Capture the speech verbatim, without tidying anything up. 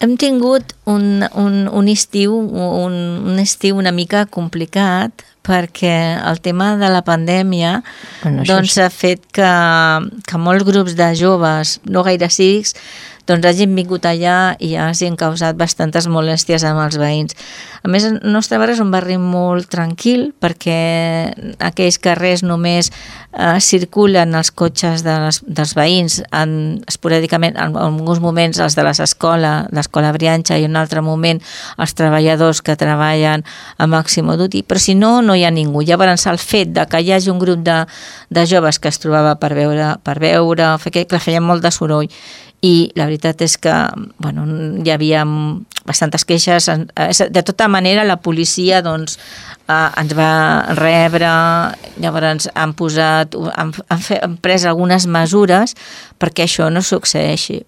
hem tingut un, un, un estiu un, un estiu una mica complicat perquè el tema de la pandèmia Bueno, això doncs, sí. ha fet que, que molts grups de joves, no gaire cívics, doncs hagin vingut allà i hagin causat bastantes molèsties amb els veïns. A més, el nostre barri és un barri molt tranquil perquè aquells carrers només eh, circulen els cotxes de les, dels veïns en, esporàdicament, en, en alguns moments els de les escoles, l'escola Brianxa, i en un altre moment els treballadors que treballen a Màximo Duty, però si no, no hi ha ningú. Llavors, el fet de que hi hagi un grup de, de joves que es trobava per veure, per veure, que feien molt de soroll, i la veritat és que bueno, hi havia bastantes queixes. De tota manera, la policia doncs, eh, ens va rebre, llavors han posat, han, han, fet, han pres algunes mesures perquè això no succeeixi.